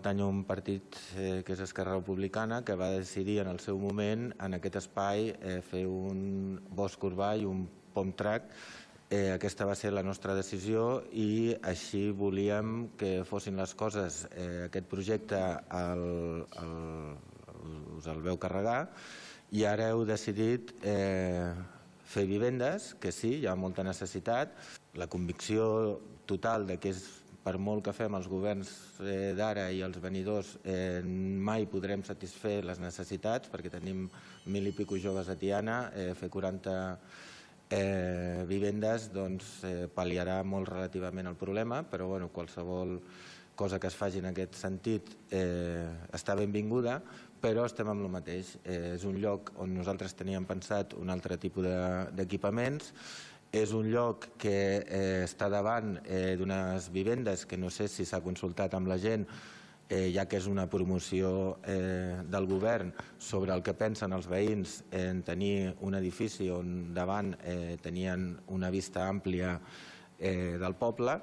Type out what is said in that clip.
Pertany a un partit que és Esquerra Republicana, que va decidir en el seu moment en aquest espai fer un bosc urbà i un pom track. Aquesta va ser la nostra decisió i així volíem que fossin les coses. Aquest projecte us el veu carregar i ara heu decidit fer vivendes, que sí, hi ha molta necessitat. La convicció total de que és per molt que fem els governs d'ara i els venidors, mai podrem satisfer les necessitats, perquè tenim 1.000 i escaig joves a Tiana. Fer 40 vivendes pal·liarà molt relativament el problema, però qualsevol cosa que es faci en aquest sentit està benvinguda, però estem amb el mateix. És un lloc on nosaltres teníem pensat un altre tipus d'equipaments. És un lloc que està davant d'unes vivendes que no sé si s'ha consultat amb la gent, ja que és una promoció del govern sobre el que pensen els veïns en tenir un edifici on davant tenien una vista àmplia del poble.